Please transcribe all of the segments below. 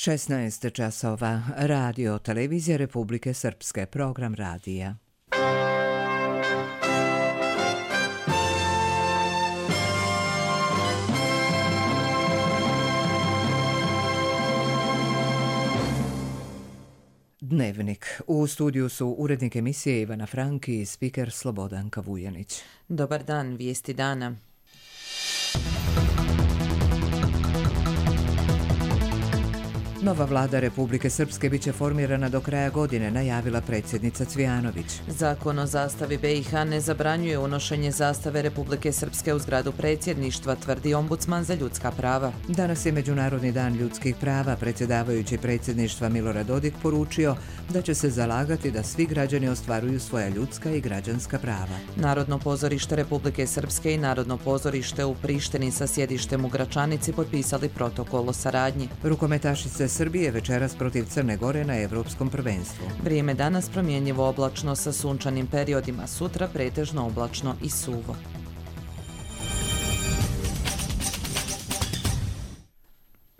16 časova. Radio Televizija Republike Srpske. Program radija. Dnevnik. U studiju su urednik emisije Ivana Franki i spiker Slobodanka Vujanić. Dobar dan, vijesti dana. Nova vlada Republike Srpske biće formirana do kraja godine, najavila predsjednica Cvijanović. Zakon o zastavi BiH ne zabranjuje unošenje zastave Republike Srpske u zgradu predsjedništva, tvrdi ombudsman za ljudska prava. Danas je Međunarodni dan ljudskih prava. Predsjedavajući predsjedništva Milorad Dodik poručio da će se zalagati da svi građani ostvaruju svoja ljudska i građanska prava. Narodno pozorište Republike Srpske i Narodno pozorište u Prištini sa sjedištem u Gračanici potpisali protokol o saradnji. Rukometašice Srbije večeras protiv Crne Gore na Evropskom prvenstvu. Vrijeme danas promjenjivo oblačno sa sunčanim periodima, sutra pretežno oblačno i suvo.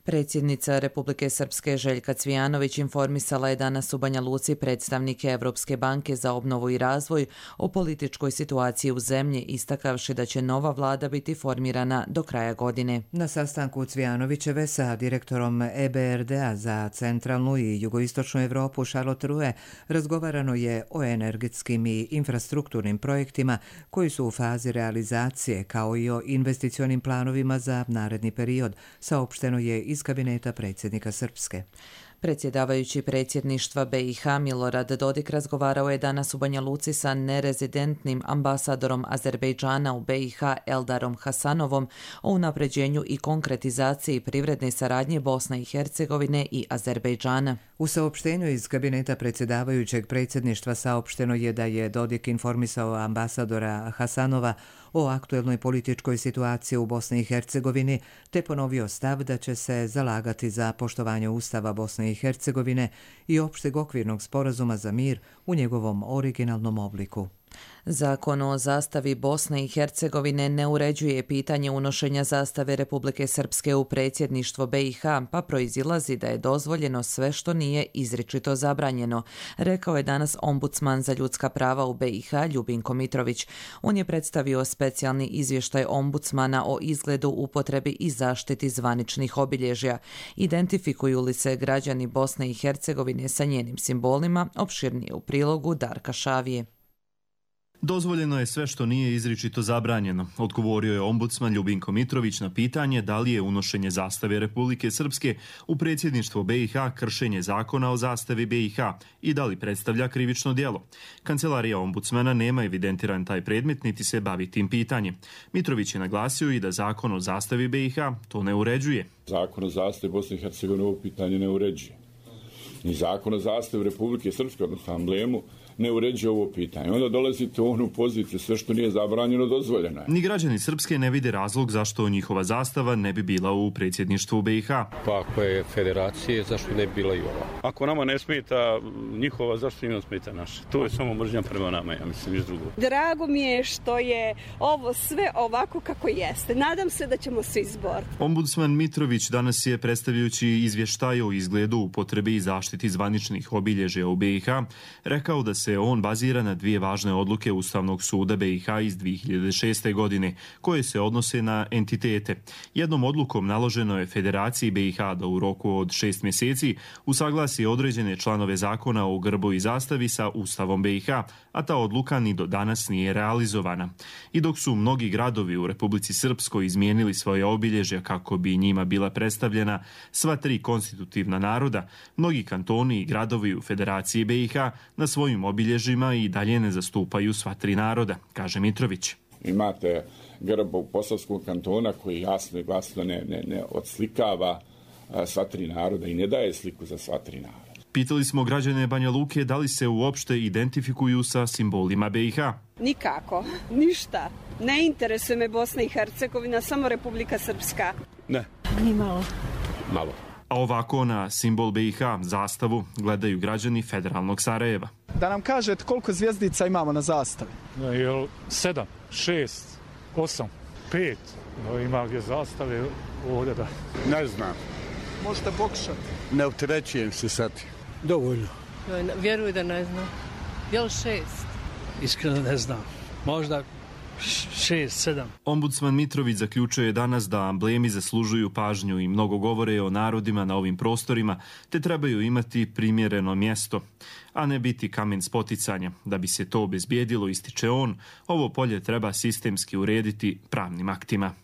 Predsjednica Republike Srpske Željka Cvijanović informisala je danas u Banja Luci predstavnike Evropske banke za obnovu i razvoj o političkoj situaciji u zemlji, istakavši da će nova vlada biti formirana do kraja godine. Na sastanku Cvijanovićeve sa direktorom EBRD-a za centralnu i jugoistočnu Evropu Charlotte Rue razgovarano je o energetskim i infrastrukturnim projektima koji su u fazi realizacije, kao i o investicionim planovima za naredni period, saopšteno je iz kabineta predsjednika Srpske. Predsjedavajući predsjedništva BiH Milorad Dodik razgovarao je danas u Banja Luci sa nerezidentnim ambasadorom Azerbejdžana u BiH Eldarom Hasanovom o unapređenju i konkretizaciji privredne saradnje Bosne i Hercegovine i Azerbejdžana. U saopštenju iz kabineta predsjedavajućeg predsjedništva saopšteno je da je Dodik informisao ambasadora Hasanova o aktuelnoj političkoj situaciji u Bosni i Hercegovini, te ponovio stav da će se zalagati za poštovanje Ustava Bosne i Hercegovine i opšteg okvirnog sporazuma za mir u njegovom originalnom obliku. Zakon o zastavi Bosne i Hercegovine ne uređuje pitanje unošenja zastave Republike Srpske u predsjedništvo BiH, pa proizilazi da je dozvoljeno sve što nije izričito zabranjeno, rekao je danas ombudsman za ljudska prava u BiH Ljubinko Mitrović. On je predstavio specijalni izvještaj ombudsmana o izgledu, upotrebi i zaštiti zvaničnih obilježja. Identifikuju li se građani Bosne i Hercegovine sa njenim simbolima, opširnije u prilogu Darka Šavije. Dozvoljeno je sve što nije izričito zabranjeno, odgovorio je ombudsman Ljubinko Mitrović na pitanje da li je unošenje zastave Republike Srpske u predsjedništvo BiH kršenje zakona o zastavi BiH i da li predstavlja krivično djelo. Kancelarija ombudsmana nema evidentiran taj predmet niti se bavi tim pitanjem. Mitrović je naglasio i da zakon o zastavi BiH to ne uređuje. Zakon o zastavi Bosne i Hercegovine ovo pitanje ne uređuje. Ni zakon o zastavi Republike Srpske, odnosno amblemu, ne uređuje ovo pitanje. Onda dolazite u onu poziciju, sve što nije zabranjeno, dozvoljeno je. Ni građani Srpske ne vide razlog zašto njihova zastava ne bi bila u predsjedništvu BiH. Pa ako je federacije, zašto ne bi bila i ova? Ako nama ne smeta njihova, zašto im smeta naša? To je samo mržnja prema nama, ja mislim, iz drugog. Drago mi je što je ovo sve ovako kako jeste. Nadam se da ćemo se izboriti. Ombudsman Mitrović danas je, predstavljajući izvještaj o izgledu, upotrebi i zaštiti zvaničnih obilježja u BiH, rekao da se on bazira na dvije važne odluke Ustavnog suda BiH iz 2006. godine, koje se odnose na entitete. Jednom odlukom naloženo je Federaciji BiH da u roku od 6 mjeseci usaglasi određene članove zakona o grbu i zastavi sa Ustavom BiH, a ta odluka ni do danas nije realizovana. I dok su mnogi gradovi u Republici Srpskoj izmijenili svoje obilježja kako bi njima bila predstavljena sva tri konstitutivna naroda, mnogi kantoni i gradovi u Federaciji BiH na svojim obilježjima i dalje ne zastupaju sva tri naroda, kaže Mitrović. Imate grb Posavskog kantona koji jasno i glasno ne odslikava sva tri naroda i ne daje sliku za sva tri naroda. Pitali smo građane Banja Luke da li se uopšte identifikuju sa simbolima BiH. Nikako, ništa. Ne interesuje me Bosna i Hercegovina, samo Republika Srpska. Ne. Ni malo. Malo. A ovako na simbol BiH, zastavu, gledaju građani federalnog Sarajeva. Da nam kažete koliko zvjezdica imamo na zastavi? 7, 6, 8, 5. Ima gdje zastave ovdje da... Ne znam. Možete pokušati. Ne opterećujem se sad. Dovoljno. Vjeruj da ne znam. Je li 6? Iskreno ne znam. Možda 6, 7. Ombudsman Mitrović zaključuje danas da amblemi zaslužuju pažnju i mnogo govore o narodima na ovim prostorima, te trebaju imati primjereno mjesto, a ne biti kamen spoticanja. Da bi se to obezbijedilo, ističe on, ovo polje treba sistemski urediti pravnim aktima.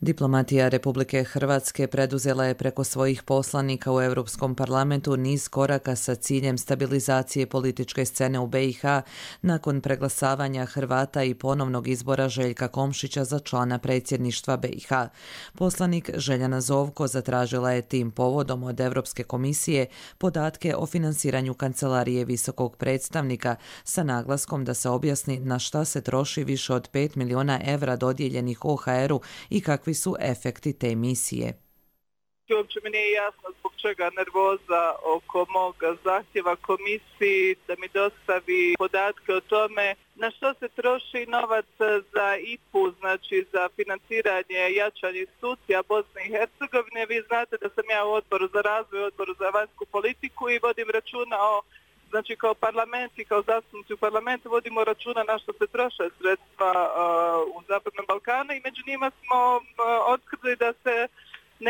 Diplomatija Republike Hrvatske preduzela je preko svojih poslanika u Europskom parlamentu niz koraka sa ciljem stabilizacije političke scene u BiH nakon preglasavanja Hrvata i ponovnog izbora Željka Komšića za člana predsjedništva BiH. Poslanik Željana Zovko zatražila je tim povodom od Europske komisije podatke o finansiranju Kancelarije visokog predstavnika sa naglaskom da se objasni na šta se troši više od 5 milijuna evra dodijeljenih OHR-u i kakvi su efekti te misije. Uopće mi nije jasno zbog čega nervoza oko mog zahtjeva komisiji da mi dostavi podatke o tome na što se troši novac za IPU, znači za financiranje jačanja institucija Bosne i Hercegovine. Vi znate da sam ja u odboru za razvoj, odboru za vanjsku politiku i vodim računa o, znači kao parlament i kao zastupnici u parlamentu vodimo računa na što se troše sredstva u Zapadnom Balkanu i među njima smo otkrili da se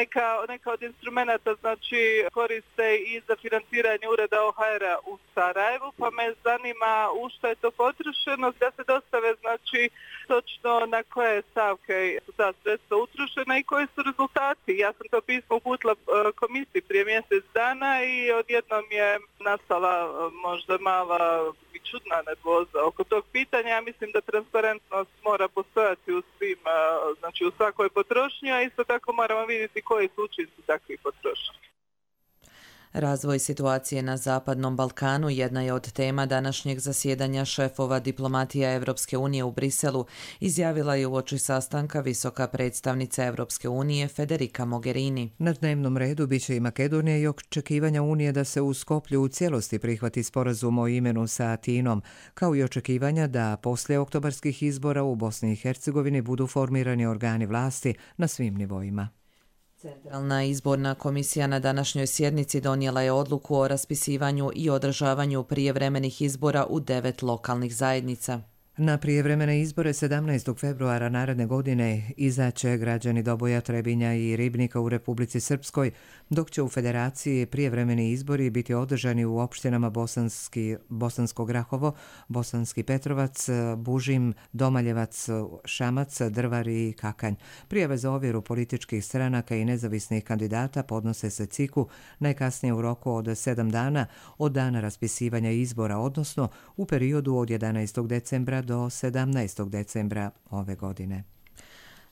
neka od instrumenta znači koriste i za financiranje ureda OHR-a u Sarajevu, pa me zanima u što je to potrošeno, da se dostave znači točno na koje stavke su ta sredstva utrošena i koji su rezultati. Ja sam to pismo uputila komisiji prije mjesec dana i odjednom je nastala možda mala i čudna nervoza oko tog pitanja. Ja mislim da transparentnost mora postojati u svim, znači u svakoj potrošnji, a isto tako moramo vidjeti koji su učinci takvih potrošnji. Razvoj situacije na Zapadnom Balkanu jedna je od tema današnjeg zasjedanja šefova diplomatija Europske unije u Briselu, izjavila je uoči sastanka visoka predstavnica Europske unije Federica Mogherini. Na dnevnom redu biće i Makedonija i očekivanja Unije da se u Skoplju u cijelosti prihvati sporazum o imenu sa Atinom, kao i očekivanja da poslije oktobarskih izbora u Bosni i Hercegovini budu formirani organi vlasti na svim nivoima. Centralna izborna komisija na današnjoj sjednici donijela je odluku o raspisivanju i održavanju prijevremenih izbora u 9 lokalnih zajednica. Na prijevremene izbore 17. februara naredne godine izaće građani Doboja, Trebinja i Ribnika u Republici Srpskoj, dok će u Federaciji prijevremeni izbori biti održani u opštinama Bosansko Grahovo, Bosanski Petrovac, Bužim, Domaljevac, Šamac, Drvar i Kakanj. Prijave za ovjeru političkih stranaka i nezavisnih kandidata podnose se CIK-u najkasnije u roku od 7 dana od dana raspisivanja izbora, odnosno u periodu od 11. decembra do 17. decembra ove godine.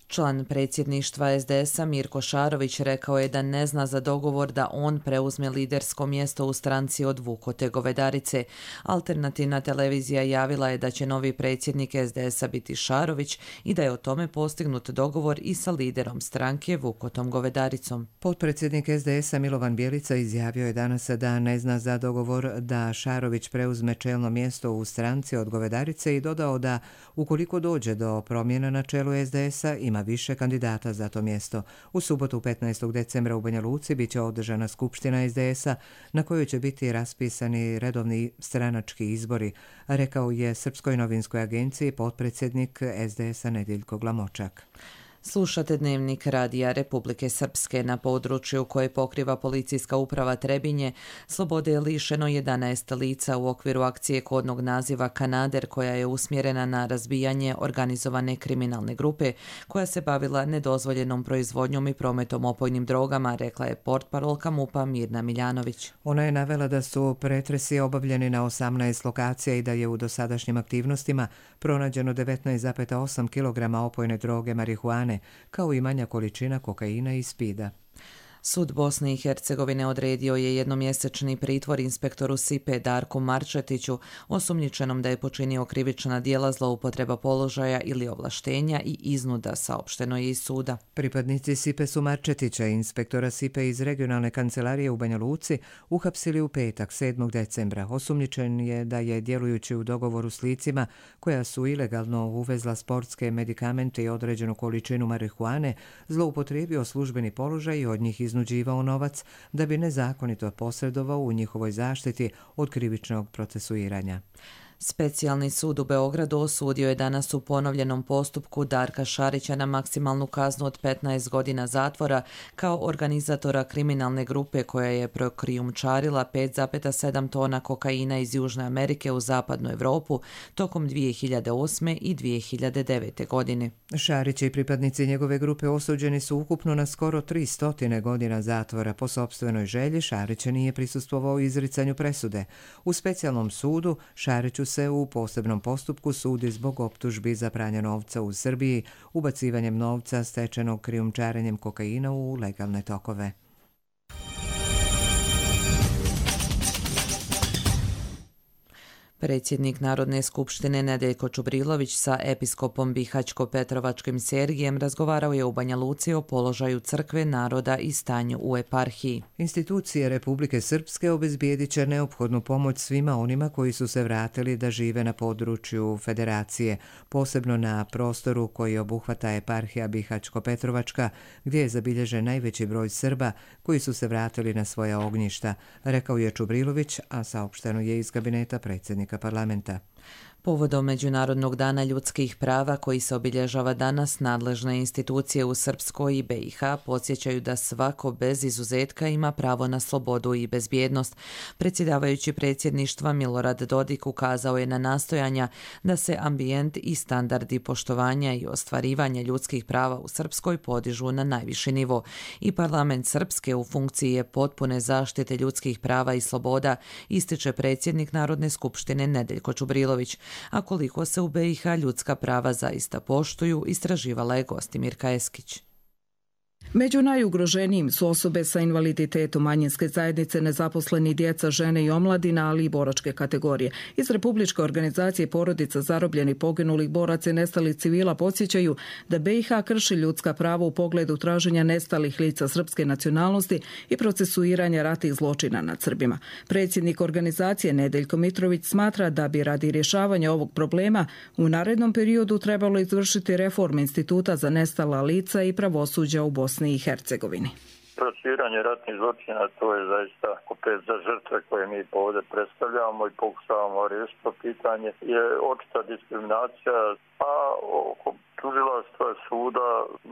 Član predsjedništva SDS-a Mirko Šarović rekao je da ne zna za dogovor da on preuzme lidersko mjesto u stranci od Vukote Govedarice. Alternativna televizija javila je da će novi predsjednik SDS-a biti Šarović i da je o tome postignut dogovor i sa liderom stranke Vukotom Govedaricom. Potpredsjednik SDS-a Milovan Bjelica izjavio je danas da ne zna za dogovor da Šarović preuzme čelno mjesto u stranci od Govedarice i dodao da ukoliko dođe do promjena na čelu SDS-a ima više kandidata za to mjesto. U subotu 15. decembra u Banja Luci biće održana skupština SDS-a na kojoj će biti raspisani redovni stranački izbori, rekao je Srpskoj novinskoj agenciji potpredsjednik SDS-a Nediljko Glamočak. Slušate Dnevnik Radija Republike Srpske. Na području koje pokriva policijska uprava Trebinje slobode je lišeno 11 lica u okviru akcije kodnog naziva Kanader, koja je usmjerena na razbijanje organizovane kriminalne grupe koja se bavila nedozvoljenom proizvodnjom i prometom opojnim drogama, rekla je portparolka MUP-a Mirna Miljanović. Ona je navela da su pretresi obavljeni na 18 lokacija i da je u dosadašnjim aktivnostima pronađeno 19,8 kg opojne droge marihuane, kao i manja količina kokaina i spida. Sud Bosne i Hercegovine odredio je jednomjesečni pritvor inspektoru SIPE Darku Marčetiću, osumnjičenom da je počinio krivična djela zloupotreba položaja ili ovlaštenja i iznuda, saopšteno je iz suda. Pripadnici SIPE su Marčetića, inspektora SIPE iz regionalne kancelarije u Banja Luci, uhapsili u petak 7. decembra. Osumnjičen je da je, djelujući u dogovoru s licima koja su ilegalno uvezla sportske medikamente i određenu količinu marihuane, zloupotrijebio službeni položaj i od njih iznuđivao novac da bi nezakonito posredovao u njihovoj zaštiti od krivičnog procesuiranja. Specijalni sud u Beogradu osudio je danas u ponovljenom postupku Darka Šarića na maksimalnu kaznu od 15 godina zatvora kao organizatora kriminalne grupe koja je prokrijumčarila 5,7 tona kokaina iz Južne Amerike u zapadnu Evropu tokom 2008. i 2009. godine. Šarić i pripadnici njegove grupe osuđeni su ukupno na skoro 300 godina zatvora. Po sopstvenoj želji Šarić nije prisustvovao izricanju presude. U specijalnom sudu Šariću se u posebnom postupku sudi zbog optužbi za pranje novca u Srbiji, ubacivanjem novca stečenog krijumčarenjem kokaina u legalne tokove. Predsjednik Narodne skupštine Nedeljko Čubrilović sa episkopom Bihaćko-Petrovačkim Sergijem razgovarao je u Banja Luci o položaju crkve, naroda i stanju u eparhiji. Institucije Republike Srpske obezbijedit će neophodnu pomoć svima onima koji su se vratili da žive na području Federacije, posebno na prostoru koji obuhvata eparhija Bihaćko-Petrovačka, gdje je zabilježen najveći broj Srba koji su se vratili na svoja ognjišta, rekao je Čubrilović, a saopšteno je iz kabineta predsjednika parlamenta. Povodom Međunarodnog dana ljudskih prava koji se obilježava danas, nadležne institucije u Srpskoj i BiH podsjećaju da svako bez izuzetka ima pravo na slobodu i bezbjednost. Predsjedavajući predsjedništva Milorad Dodik ukazao je na nastojanja da se ambijent i standardi poštovanja i ostvarivanja ljudskih prava u Srpskoj podižu na najviši nivo. I parlament Srpske u funkciji je potpune zaštite ljudskih prava i sloboda, ističe predsjednik Narodne skupštine Nedeljko Čubrilović. A koliko se u BiH ljudska prava zaista poštuju, istraživala je Gostimirka Eskić. Među najugroženijim su osobe sa invaliditetom, manjinske zajednice, nezaposleni, djeca, žene i omladina, ali i boračke kategorije. Iz Republičke organizacije porodica zarobljenih, poginulih boraca i nestalih civila podsjećaju da BiH krši ljudska prava u pogledu traženja nestalih lica srpske nacionalnosti i procesuiranja ratnih zločina nad Srbima. Predsjednik organizacije Nedeljko Mitrović smatra da bi radi rješavanja ovog problema u narednom periodu trebalo izvršiti reforme Instituta za nestala lica i pravosuđa u Bosni i Hercegovini. Procesuiranje ratnih zločina, to je zaista opet za žrtve koje mi ovdje predstavljamo i pokušavamo riješiti to pitanje, je očita diskriminacija, a oko tužilaštva suda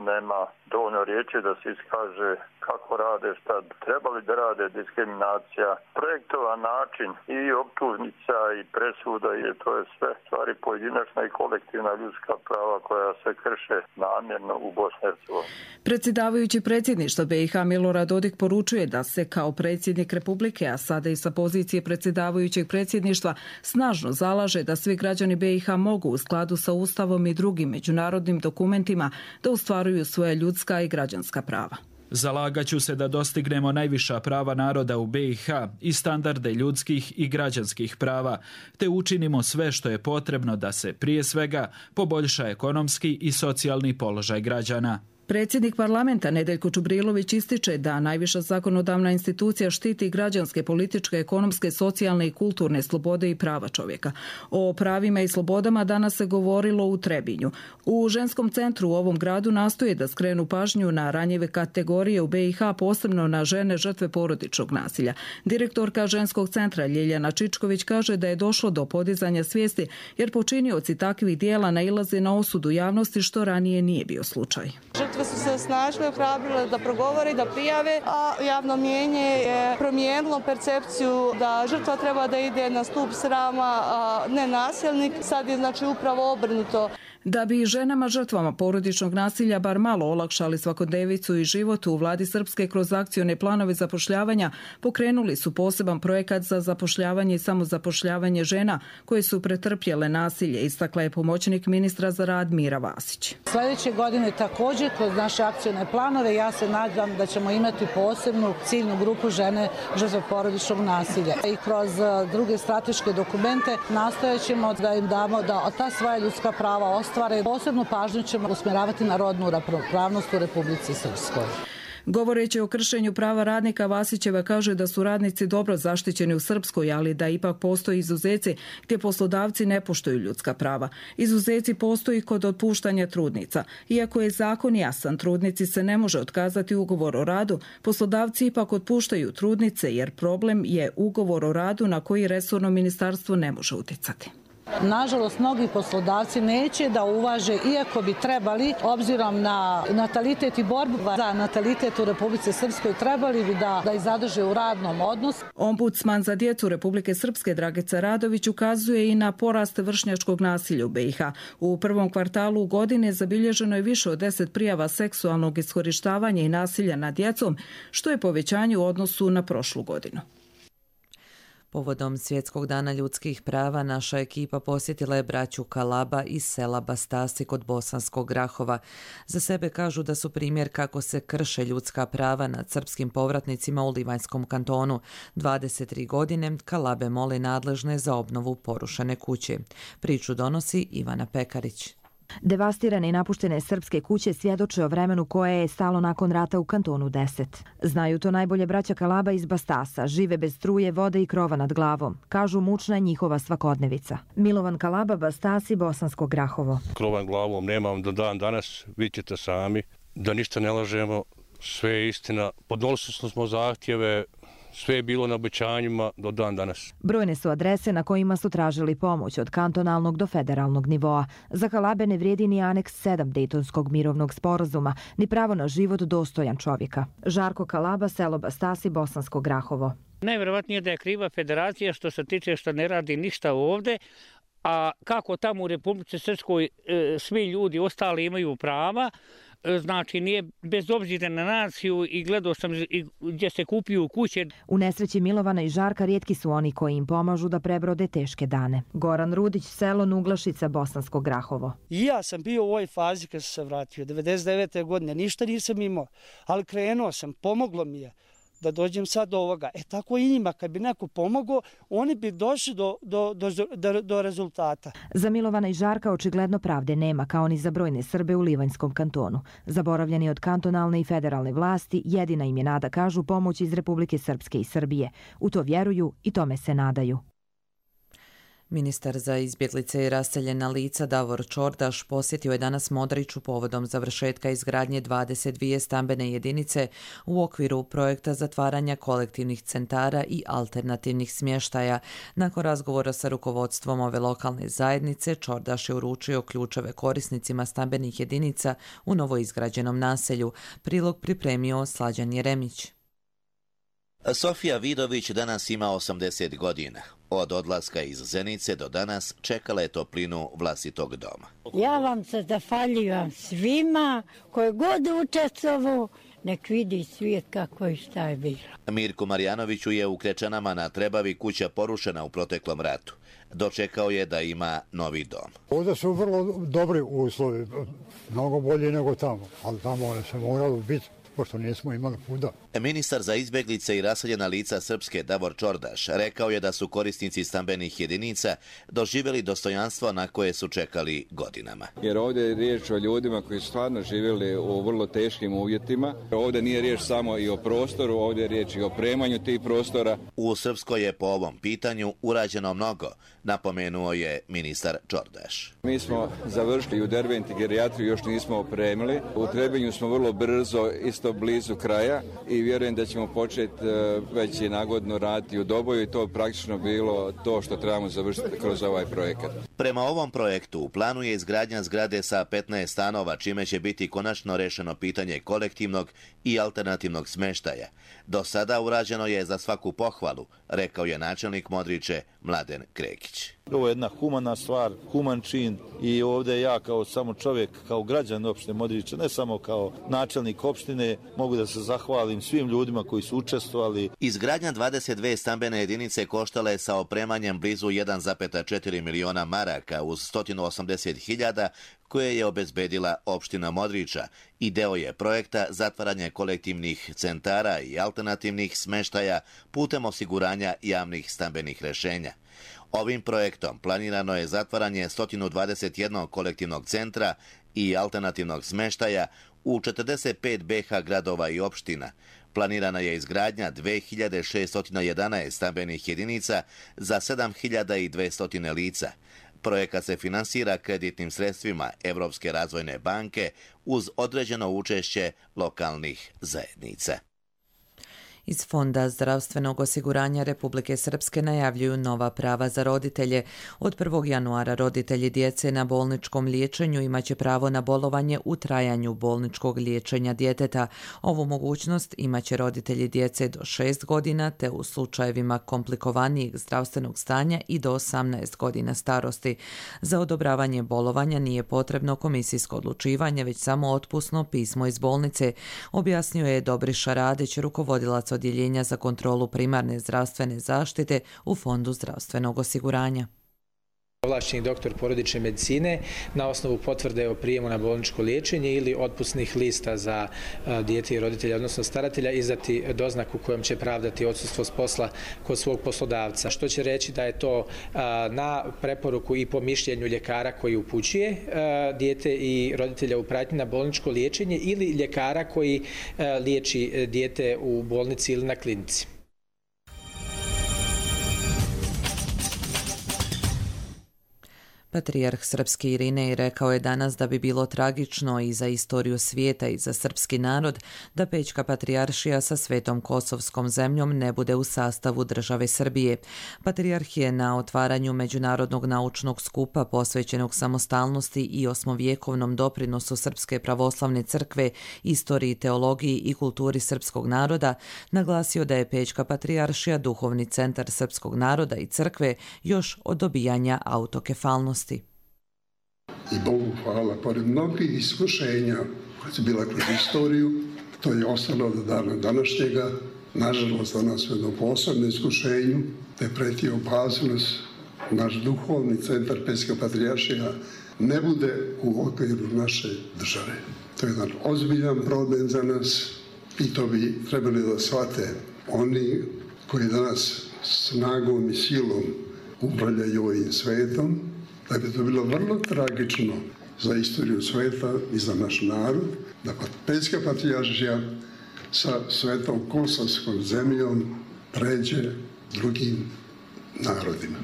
nema dovoljno riječi da se iskaže kako rade, šta trebali da rade, diskriminacija, projektovan način i optužnica i presuda, to je sve stvari pojedinačna i kolektivna ljudska prava koja se krše namjerno u Bosni i Hercegovini. Predsjedavajući predsjedništva BiH Milorad Dodik poručuje da se kao predsjednik Republike, a sada i sa pozicije predsjedavajućeg predsjedništva, snažno zalaže da svi građani BiH mogu u skladu sa Ustavom i drugim međunarodnim dokumentima da ostvaruju svoja ljudska i građanska prava. Zalagaću se da dostignemo najviša prava naroda u BiH i standarde ljudskih i građanskih prava, te učinimo sve što je potrebno da se prije svega poboljša ekonomski i socijalni položaj građana. Predsjednik parlamenta Nedeljko Čubrilović ističe da najviša zakonodavna institucija štiti građanske, političke, ekonomske, socijalne i kulturne slobode i prava čovjeka. O pravima i slobodama danas se govorilo u Trebinju. U ženskom centru u ovom gradu nastoje da skrenu pažnju na ranjive kategorije u BiH, posebno na žene žrtve porodičnog nasilja. Direktorka ženskog centra Ljiljana Čičković kaže da je došlo do podizanja svijesti jer počinioci takvih dijela nailaze na osudu javnosti što ranije nije bio slučaj. Žrtve su se snažno ohrabrile da progovore i da prijave, a javno mnijenje je promijenilo percepciju da žrtva treba da ide na stup srama, a ne nasilnik. Sad je upravo obrnuto. Da bi ženama žrtvama porodičnog nasilja bar malo olakšali svakodnevicu i život, u vladi Srpske kroz akcione planove zapošljavanja pokrenuli su poseban projekat za zapošljavanje i samozapošljavanje žena koje su pretrpjele nasilje, istakla je pomoćnik ministra za rad Mira Vasić. Sljedeće godine također kroz naše akcione planove ja se nadam da ćemo imati posebnu ciljnu grupu žene žrtve porodičnog nasilja. I kroz druge strateške dokumente nastojat ćemo da im damo da ta svoja ljudska prava ostvare. Posebnu pažnju ćemo usmjeravati na rodnu ravnopravnost u Republici Srpskoj. Govoreći o kršenju prava radnika, Vasićeva kaže da su radnici dobro zaštićeni u Srpskoj, ali da ipak postoji izuzeci gdje poslodavci ne poštuju ljudska prava. Izuzeci postoji kod otpuštanja trudnica. Iako je zakon jasan, trudnici se ne može otkazati ugovor o radu, poslodavci ipak otpuštaju trudnice jer problem je ugovor o radu na koji resorno ministarstvo ne može utjecati. Nažalost, mnogi poslodavci neće da uvaže, iako bi trebali, obzirom na natalitet i borbu za natalitet u Republici Srpskoj, trebali bi da ih zadrže u radnom odnosu. Ombudsman za djecu Republike Srpske Dragica Radović ukazuje i na porast vršnjačkog nasilja u BiH. U prvom kvartalu godine zabilježeno je više od 10 prijava seksualnog iskorištavanja i nasilja nad djecom, što je povećanje u odnosu na prošlu godinu. Povodom Svjetskog dana ljudskih prava naša ekipa posjetila je braću Kalaba iz sela Bastasi kod Bosanskog Grahova. Za sebe kažu da su primjer kako se krše ljudska prava nad srpskim povratnicima u Livanjskom kantonu. 23 godine Kalabe moli nadležne za obnovu porušene kuće. Priču donosi Ivana Pekarić. Devastirane i napuštene srpske kuće svjedoče o vremenu koje je stalo nakon rata u kantonu 10. Znaju to najbolje braća Kalaba iz Bastasa, žive bez struje, vode i krova nad glavom. Kažu, mučna je njihova svakodnevica. Milovan Kalaba, Bastasi, Bosansko Grahovo. Krova nad glavom nemam do dan danas, vi ćete sami, da ništa ne lažemo, sve je istina. Podnosili smo zahtjeve, sve je bilo na obećanjima do dan danas. Brojne su adrese na kojima su tražili pomoć od kantonalnog do federalnog nivoa. Za Kalabe ne vrijedi ni aneks 7 Dejtonskog mirovnog sporazuma, ni pravo na život dostojan čovjeka. Žarko Kalaba, selo Bastasi, Bosansko Grahovo. Najvjerovatnije da je kriva federacija što se tiče što ne radi ništa ovdje, a kako tamo u Republici Srpskoj svi ljudi ostali imaju prava, znači nije bez obzira na naciju i gledao sam gdje se kupuju kuće. U nesreći Milovana i Žarka rijetki su oni koji im pomažu da prebrode teške dane. Goran Rudić, selo Nuglašica, Bosansko Grahovo. I ja sam bio u ovoj fazi kad sam se vratio, 99. godine, ništa nisam imao, ali krenuo sam, pomoglo mi je da dođem sad do ovoga. Tako i njima, kad bi neko pomogao, oni bi došli do rezultata. Za Milovana i Žarka očigledno pravde nema, kao ni za brojne Srbe u Livanjskom kantonu. Zaboravljeni od kantonalne i federalne vlasti, jedina im je nada, kažu, pomoć iz Republike Srpske i Srbije. U to vjeruju i tome se nadaju. Ministar za izbjeglice i raseljena lica Davor Čordaš posjetio je danas Modriću povodom završetka izgradnje 22 stambene jedinice u okviru projekta zatvaranja kolektivnih centara i alternativnih smještaja. Nakon razgovora sa rukovodstvom ove lokalne zajednice, Čordaš je uručio ključeve korisnicima stambenih jedinica u novoizgrađenom naselju. Prilog pripremio Slađan Jeremić. Sofija Vidović danas ima 80 godina. Od odlaska iz Zenice do danas čekala je toplinu vlastitog doma. Ja vam se zahvaljujem svima koji god učestvuju, nek vidi svijet kako i šta je bilo. Mirko Marjanoviću je u Krečanama na Trebavi kuća porušena u proteklom ratu. Dočekao je da ima novi dom. Ovdje su vrlo dobri uslovi, mnogo bolji nego tamo, ali tamo se moralo biti, pošto nismo imali kuda. Ministar za izbjeglice i raseljena lica Srpske Davor Čordaš rekao je da su korisnici stambenih jedinica doživjeli dostojanstvo na koje su čekali godinama. Jer ovdje je riječ o ljudima koji su stvarno živjeli u vrlo teškim uvjetima. Ovdje nije riječ samo i o prostoru, ovdje je riječ i o opremanju tih prostora. U Srpskoj je po ovom pitanju urađeno mnogo, napomenuo je ministar Čordaš. Mi smo završili u Derventi gerijatriju, još nismo opremili. U Trebinju smo vrlo brzo, isto blizu kraja, i vjerujem da ćemo početi već i nagodno raditi u Doboju i to praktično bilo to što trebamo završiti kroz ovaj projekat. Prema ovom projektu u planu je izgradnja zgrade sa 15 stanova, čime će biti konačno rešeno pitanje kolektivnog i alternativnog smještaja. Do sada urađeno je za svaku pohvalu, rekao je načelnik Modriće Mladen Krekić. Ovo je jedna humana stvar, human čin i ovdje ja kao samo čovjek, kao građan opštine Modriče, ne samo kao načelnik opštine, mogu da se zahvalim svim ljudima koji su učestvovali. Izgradnja 22 stambene jedinice koštala je sa opremanjem blizu 1,4 miliona maraka uz 180.000 koje je obezbedila opština Modriča i deo je projekta zatvaranje kolektivnih centara i alternativnih smještaja putem osiguranja javnih stambenih rješenja. Ovim projektom planirano je zatvaranje 121 kolektivnog centra i alternativnog smještaja u 45 BiH gradova i opština. Planirana je izgradnja 2611 stambenih jedinica za 7200 lica. Projekat se finansira kreditnim sredstvima Evropske razvojne banke uz određeno učešće lokalnih zajednica. Iz Fonda zdravstvenog osiguranja Republike Srpske najavljuju nova prava za roditelje. Od 1. januara roditelji djece na bolničkom liječenju imaće pravo na bolovanje u trajanju bolničkog liječenja djeteta. Ovu mogućnost imaće roditelji djece do 6 godina te u slučajevima komplikovanijeg zdravstvenog stanja i do 18 godina starosti. Za odobravanje bolovanja nije potrebno komisijsko odlučivanje, već samo otpusno pismo iz bolnice, objasnio je Dobriša Radić, rukovodilac Odjeljenja za kontrolu primarne zdravstvene zaštite u Fondu zdravstvenog osiguranja. Ovlašćeni doktor porodične medicine na osnovu potvrde o prijemu na bolničko liječenje ili otpusnih lista za dijete i roditelja, odnosno staratelja, izdati doznaku kojom će pravdati odsustvo s posla kod svog poslodavca. Što će reći da je to na preporuku i po mišljenju ljekara koji upućuje dijete i roditelja u pratnji na bolničko liječenje ili ljekara koji liječi dijete u bolnici ili na klinici. Patrijarh srpski Irinej rekao je danas da bi bilo tragično i za istoriju svijeta i za srpski narod da Pećka patrijaršija sa Svetom Kosovskom zemljom ne bude u sastavu države Srbije. Patrijarh je na otvaranju Međunarodnog naučnog skupa posvećenog samostalnosti i osmovjekovnom doprinosu Srpske pravoslavne crkve, istoriji, teologiji i kulturi srpskog naroda naglasio da je Pećka patrijaršija duhovni centar srpskog naroda i crkve još od dobijanja autokefalnosti. I Bogu hvala, pored mnogih iskušenja koja su bila kroz istoriju, to je ostalo do dana današnjega. Nažalost, danas u jednom posebnom iskušenju, da je pretio opasnost naš duhovni centar Pećka patrijaršija ne bude u okviru naše države. To je jedan ozbiljan problem za nas i to bi trebali da shvate oni koji danas snagom i silom upravljaju ovim svetom, da bi to bilo vrlo tragično za istoriju sveta i za naš narod, da Pećka patrijaršija sa Svetom Kosovskom zemljom pređe drugim narodima.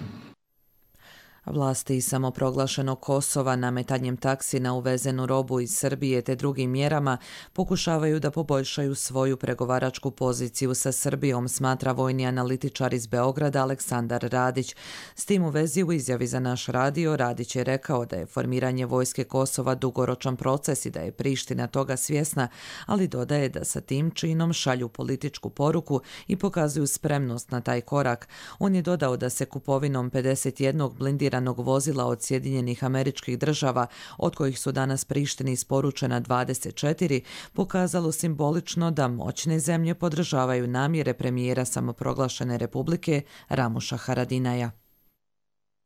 Vlasti samoproglašenog Kosova nametanjem taksi na uvezenu robu iz Srbije te drugim mjerama pokušavaju da poboljšaju svoju pregovaračku poziciju sa Srbijom, smatra vojni analitičar iz Beograda Aleksandar Radić. S tim u vezi u izjavi za naš radio Radić je rekao da je formiranje vojske Kosova dugoročan proces i da je Priština toga svjesna, ali dodaje da sa tim činom šalju političku poruku i pokazuju spremnost na taj korak. On je dodao da se kupovinom 51 blindiranog vozila od Sjedinjenih Američkih Država, od kojih su danas Prištini isporučena 24, pokazalo simbolično da moćne zemlje podržavaju namjere premijera samoproglašene republike Ramuša Haradinaja.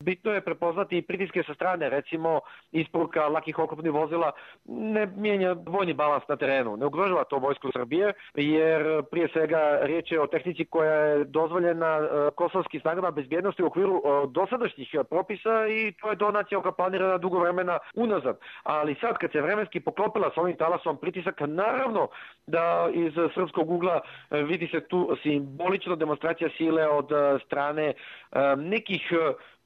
Bitno je prepoznati i pritiske sa strane, recimo isporuka lakih oklopnih vozila ne mijenja vojni balans na terenu, ne ugrožava to vojsku Srbije, jer prije svega riječ je o tehnici koja je dozvoljena kosovskim snagama bezbjednosti u okviru dosadašnjih propisa i to je donacija koja planirana dugo vremena unazad. Ali sad kad se vremenski poklopila s ovim talasom pritisaka, naravno da iz srpskog ugla vidi se tu simbolično demonstracija sile od strane nekih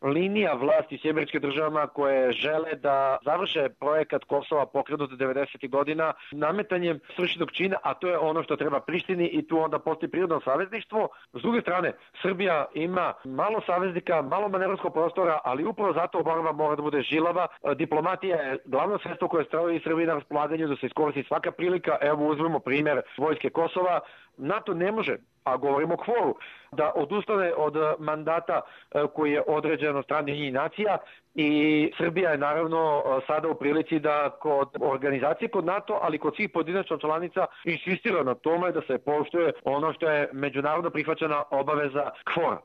linija vlasti u Sjedinjenim Državama koje žele da završe projekat Kosova pokrenut 90. godina nametanjem svršenog čina, a to je ono što treba Prištini i tu onda postoji prirodno savezništvo. S druge strane, Srbija ima malo saveznika, malo manevarskog prostora, ali upravo zato borba mora da bude žilava. Diplomatija je glavno sredstvo koje stoji Srbiji na raspolaganju da se iskoristi svaka prilika. Evo uzmemo primjer vojske Kosova. NATO ne može, a govorimo o kvoru, da odustane od mandata koji je određen od strane Ujedinjenih nacija i Srbija je naravno sada u prilici da kod organizacije, kod NATO, ali kod svih pojedinačnih članica insistira na tome da se poštuje ono što je međunarodno prihvaćena obaveza kvora.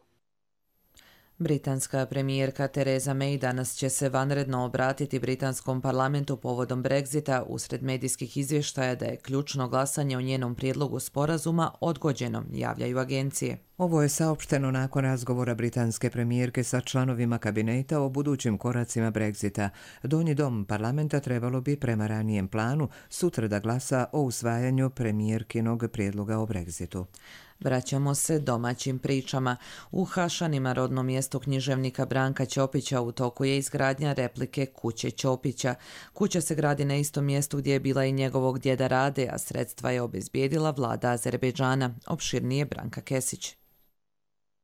Britanska premijerka Theresa May danas će se vanredno obratiti britanskom parlamentu povodom Brexita usred medijskih izvještaja da je ključno glasanje o njenom prijedlogu sporazuma odgođeno, javljaju agencije. Ovo je saopšteno nakon razgovora britanske premijerke sa članovima kabineta o budućim koracima Brexita. Donji dom parlamenta trebalo bi prema ranijem planu sutra da glasa o usvajanju premijerkinog prijedloga o Brexitu. Vraćamo se domaćim pričama. U Hašanima, rodnom mjestu književnika Branka Ćopića, u toku je izgradnja replike kuće Ćopića. Kuća se gradi na istom mjestu gdje je bila i njegovog djeda Rade, a sredstva je obezbijedila vlada Azerbejdžana. Opširnije Branka Kesić.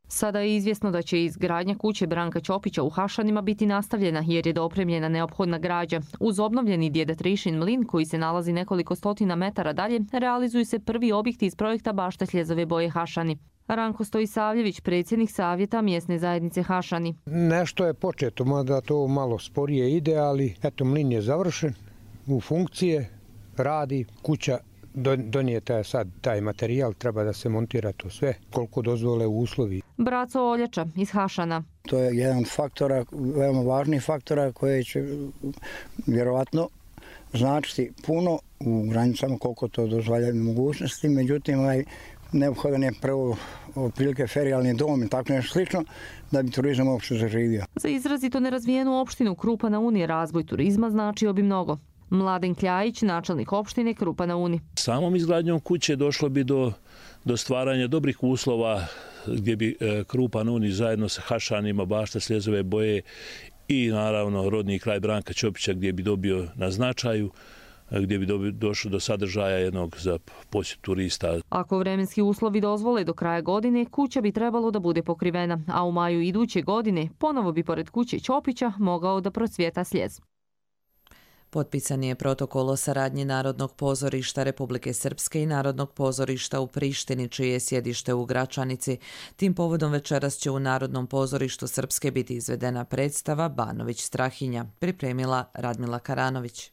Sada je izvjesno da će izgradnja kuće Branka Ćopića u Hašanima biti nastavljena jer je dopremljena neophodna građa. Uz obnovljeni djeda Trišin mlin koji se nalazi nekoliko stotina metara dalje, realizuju se prvi objekti iz projekta Bašta Sljezove boje Hašani. Ranko Stojisavljević, predsjednik savjeta mjesne zajednice Hašani. Nešto je početo, mada to malo sporije ide, ali eto mlin je završen, u funkcije, radi, kuća donijeta je sad taj materijal, treba da se montira to sve, koliko dozvole uslovi. Braco Oljača iz Hašana. To je jedan faktora, veoma važnih faktora koji će vjerovatno značiti puno u granicama koliko to dozvoljaju mogućnosti, međutim neophodan je prvo otprilike ferijalni dom i tako nešto slično da bi turizam uopšte zaživio. Za izrazito nerazvijenu opštinu Krupa na Uni razvoj turizma značio bi mnogo. Mladen Kljajić, načelnik opštine Krupa na Uni. Samom izgradnjom kuće došlo bi do stvaranja dobrih uslova gdje bi Krupa na Uni zajedno sa Hašanima, Bašta Sljezove boje i naravno rodni kraj Branka Ćopića gdje bi dobio na značaju, gdje bi došlo do sadržaja jednog za posjet turista. Ako vremenski uslovi dozvole do kraja godine, kuća bi trebalo da bude pokrivena, a u maju iduće godine ponovo bi pored kuće Ćopića mogao da procvjeta sljez. Potpisan je protokol o saradnji Narodnog pozorišta Republike Srpske i Narodnog pozorišta u Prištini, čije je sjedište u Gračanici. Tim povodom večeras će u Narodnom pozorištu Srpske biti izvedena predstava Banović Strahinja, pripremila Radmila Karanović.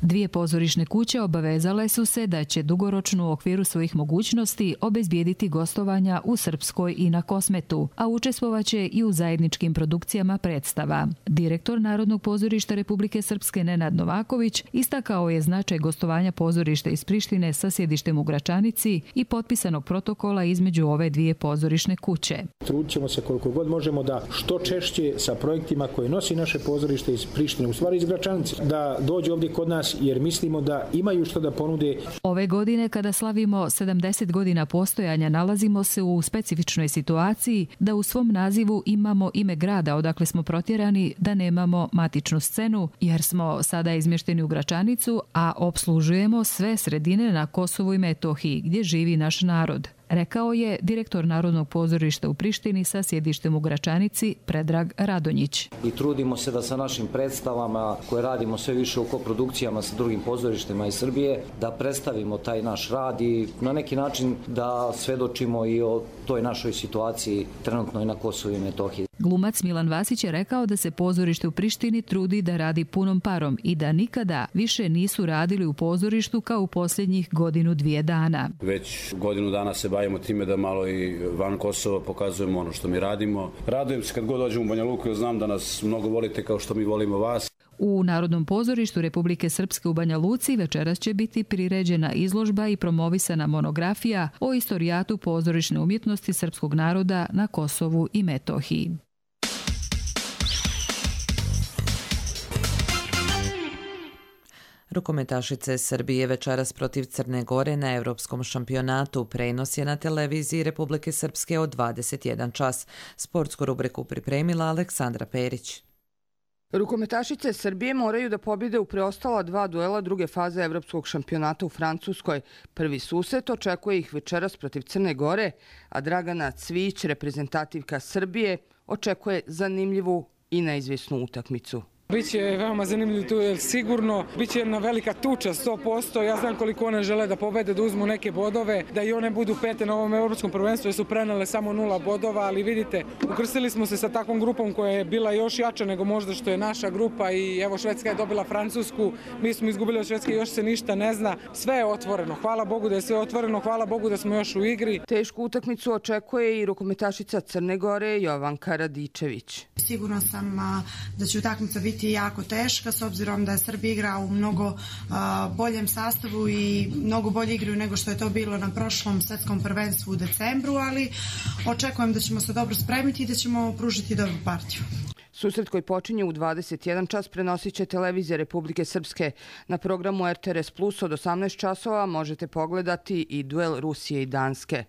Dvije pozorišne kuće obavezale su se da će dugoročno u okviru svojih mogućnosti obezbijediti gostovanja u Srpskoj i na Kosmetu, a učestvovaće i u zajedničkim produkcijama predstava. Direktor Narodnog pozorišta Republike Srpske Nenad Novaković istakao je značaj gostovanja pozorišta iz Prištine sa sjedištem u Gračanici i potpisanog protokola između ove dvije pozorišne kuće. Trudit ćemo se koliko god možemo da što češće sa projektima koje nosi naše pozorište iz Prištine, u stvari iz Gračanice, da dođe ovdje kod nas jer mislimo da imaju što da ponude. Ove godine, kada slavimo 70 godina postojanja, nalazimo se u specifičnoj situaciji da u svom nazivu imamo ime grada odakle smo protjerani, da nemamo matičnu scenu, jer smo sada izmješteni u Gračanicu, a opslužujemo sve sredine na Kosovu i Metohiji, gdje živi naš narod, rekao je direktor Narodnog pozorišta u Prištini sa sjedištem u Gračanici Predrag Radonjić. I trudimo se da sa našim predstavama koje radimo sve više u koprodukcijama sa drugim pozorištima iz Srbije, da predstavimo taj naš rad i na neki način da svedočimo i o toj našoj situaciji trenutno i na Kosovu i Metohiji. Glumac Milan Vasić je rekao da se pozorište u Prištini trudi da radi punom parom i da nikada više nisu radili u pozorištu kao u posljednjih godinu, dvije dana. Već godinu dana se bavimo time da malo i van Kosova pokazujemo ono što mi radimo. Radujem se kad god dođem u Banja Luku, jer znam da nas mnogo volite kao što mi volimo vas. U Narodnom pozorištu Republike Srpske u Banja Luci večeras će biti priređena izložba i promovisana monografija o istorijatu pozorišne umjetnosti srpskog naroda na Kosovu i Metohiji. Rukometašice Srbije večeras protiv Crne Gore na Evropskom šampionatu. Prenos je na televiziji Republike Srpske od 21 čas. Sportsku rubriku pripremila Aleksandra Perić. Rukometašice Srbije moraju da pobjede u preostala dva duela druge faze Evropskog šampionata u Francuskoj. Prvi susret očekuje ih večeras protiv Crne Gore, a Dragana Cvić, reprezentativka Srbije, očekuje zanimljivu i neizvjesnu utakmicu. Biće veoma zanimljiv duel sigurno, biće jedna velika tuča 100%, ja znam koliko one žele da pobede, da uzmu neke bodove, da i one budu pete na ovom evropskom prvenstvu jer su prenele samo 0 bodova, ali vidite, ukrstili smo se sa takvom grupom koja je bila još jača nego možda što je naša grupa i evo Švedska je dobila Francusku, mi smo izgubili od Švedske, još se ništa ne zna, sve je otvoreno, hvala Bogu da je sve otvoreno, hvala Bogu da smo još u igri. Tešku utakmicu očekuje i rukometašica Crne Gore Jovanka Radičević. Sigurno sam da će utakmica biti jako teška s obzirom da je Srbija igra u mnogo boljem sastavu i mnogo bolje igraju nego što je to bilo na prošlom svetskom prvenstvu u decembru, ali očekujem da ćemo se dobro spremiti i da ćemo pružiti dobru partiju. Susret koji počinje u 21 čas prenosit će televizija Republike Srpske. Na programu RTRS Plus od 18 časova možete pogledati i duel Rusije i Danske.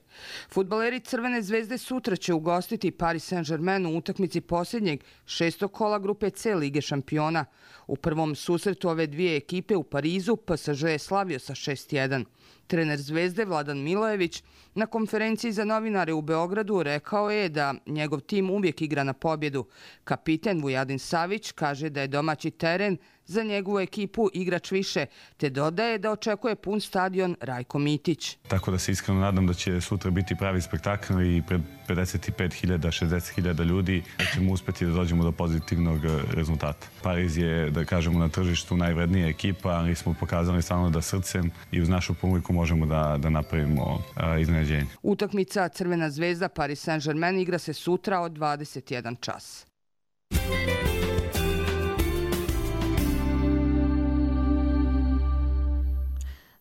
Fudbaleri Crvene zvezde sutra će ugostiti Paris Saint-Germain u utakmici posljednjeg 6. kola grupe C Lige šampiona. U prvom susretu ove dvije ekipe u Parizu PSG je slavio sa 6-1. Trener Zvezde Vladan Milojević na konferenciji za novinare u Beogradu rekao je da njegov tim uvijek igra na pobjedu. Kapiten Vujadin Savić kaže da je domaći teren za njegovu ekipu igrač više, te dodaje da očekuje pun stadion Rajko Mitić. Tako da se iskreno nadam da će sutra biti pravi spektakl i pred 55.000, 60.000 ljudi da ćemo uspjeti da dođemo do pozitivnog rezultata. Pariz je, da kažemo, na tržištu najvrednija ekipa, ali smo pokazali stvarno da srcem i uz našu publiku možemo da napravimo iznenađenje. Utakmica Crvena zvezda Paris Saint-Germain igra se sutra od 21 čas.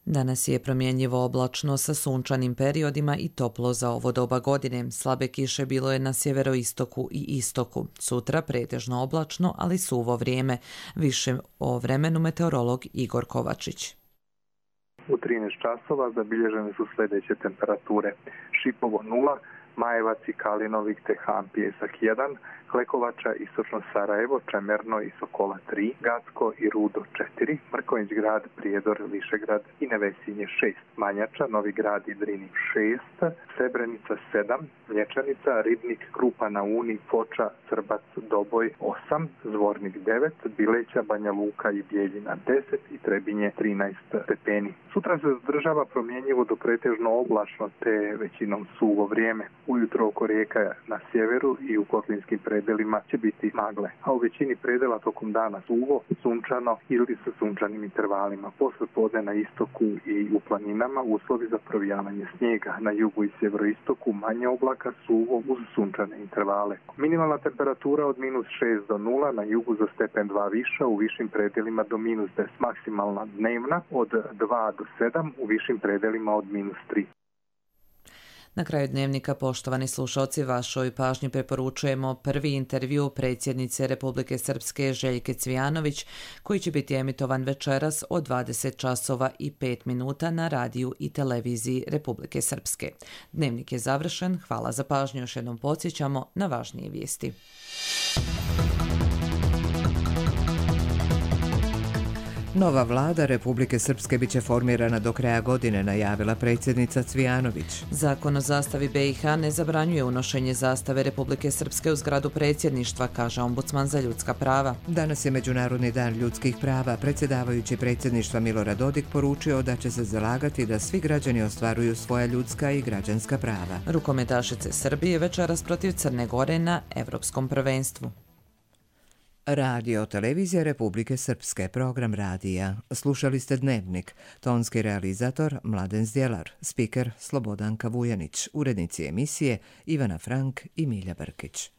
Danas je promjenjivo oblačno sa sunčanim periodima i toplo za ovo doba godine. Slabe kiše bilo je na sjeveroistoku i istoku. Sutra pretežno oblačno, ali suvo vrijeme. Više o vremenu meteorolog Igor Kovačić. U 13 časova zabilježene su sljedeće temperature. Šipovo 0, Majevac i Kalinovik te Han Pijesak 1, Klekovača, Istočno Sarajevo, Čemerno i Sokola 3, Gacko i Rudo 4, Mrkonjić grad, Prijedor, Višegrad i Nevesinje 6, Manjača, Novi grad i Drini 6, Srebrenica 7, Mlječanica, Ribnik, Krupa na Uni, Foča, Crbac, Doboj 8, Zvornik 9, Bileća, Banja Luka i Bijeljina 10 i Trebinje 13 stepeni. Sutra se zadržava promjenjivo do pretežno oblačno te većinom suvo vrijeme. Ujutro oko rijeka na sjeveru i u kotlinskim predelima će biti magle, a u većini predela tokom dana suvo, sunčano ili sa sunčanim intervalima. Posle podne na istoku i u planinama uslovi za provijavanje snijega. Na jugu i sjeveroistoku manje oblaka, suvo uz sunčane intervale. Minimalna temperatura od -6 do 0, na jugu za stepen 2 viša, u višim predelima do -10. Maksimalna dnevna od 2 do 7, u višim predelima od -3. Na kraju dnevnika, poštovani slušalci, vašoj pažnji preporučujemo prvi intervju predsjednice Republike Srpske Željke Cvijanović, koji će biti emitovan večeras od 20 časova i 5 minuta na radiju i televiziji Republike Srpske. Dnevnik je završen, hvala za pažnju, još jednom podsjećamo na važnije vijesti. Nova vlada Republike Srpske biće formirana do kraja godine, najavila predsjednica Cvijanović. Zakon o zastavi BiH ne zabranjuje unošenje zastave Republike Srpske u zgradu predsjedništva, kaže ombudsman za ljudska prava. Danas je Međunarodni dan ljudskih prava. Predsjedavajući predsjedništva Milorad Dodik poručio da će se zalagati da svi građani ostvaruju svoja ljudska i građanska prava. Rukometašice Srbije večeras protiv Crne Gore na Evropskom prvenstvu. Radio televizija Republike Srpske, program radija. Slušali ste Dnevnik. Tonski realizator Mladen Zdjelar, spiker Slobodanka Vujanić, urednici emisije Ivana Frank i Milja Brkić.